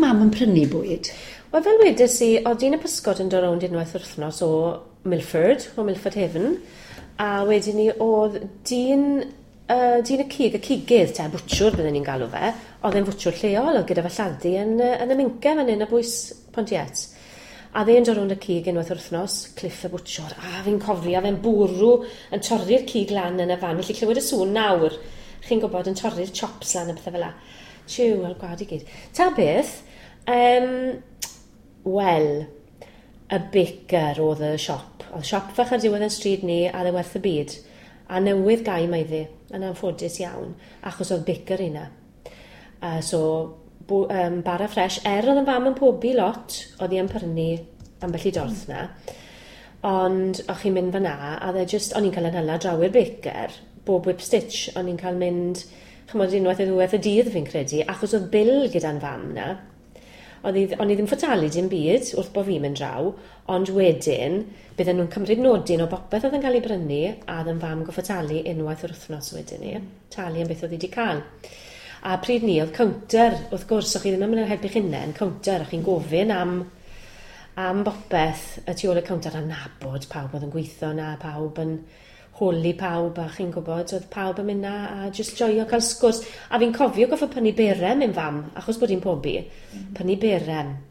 Mam yn prynu bwyd? Wel, fel wedes i, oedd dyn y pysgod yn dod rownd unwaith yr wythnos o Milford, o Milford Haven, a wedyn ni oedd dyn y cig, y cigydd, te, bwtsiwr bydden ni'n galw fe, oedd e'n fwtsiwr lleol, oedd gyda fe lladd-dy yn y Minca fan hyn, ar bwys Pontiet. A fe'n dod rownd y cig unwaith yr wythnos, Cliff y bwtsiwr, a fi'n cofio fe'n bwrw yn torri'r cig lan yn y fan, felly clywed y sŵn nawr, chi'n gwybod, yn torri'r chops lan a pethau fel 'a. Tiw, a'r gwad i gyd. Ta beth, wel, y baker oedd y siop. Oedd siop fach ar diwedd y stryd ni, a oedd e werth y byd. A newydd gau mae ddi, yn anffodus iawn, achos oedd baker yna. So, bara ffres, er oedd yn fam yn pobi lot, oedd hi yn prynu ambell i dorth na. Ond o'ch chi'n mynd fyna, a oedd e just, o'n i'n cael yn hala draw i'r baker, bob whip stitch, o'n i'n cael mynd, chymod, unwaith neu ddwywaith y dydd fi'n credu, achos oedd bil gyda'n fam na. O'n i ddim fod talu dim byd wrth bod fi'n mynd draw, ond wedyn bydden nhw'n cymryd nodyn o bopeth oedd yn cael ei brynu, a oedd yn fam goffod talu unwaith yr wythnos wedyn ni, talu am beth oedd hi wedi cael. A pryd ni, oedd counter, wrth gwrs, o'ch chi ddim yn mynd i helpu'ch hunain, counter, o'ch chi'n gofyn am bopeth y tu ôl y counter a nabod pawb oedd yn gweithio na, pawb yn holi pawb a chi'n gwybod, oedd pawb yn mynd na a just joio cael sgwrs. A fi'n cofio goffod prynu berem i'n fam, achos bod hi'n pobi, prynu berem.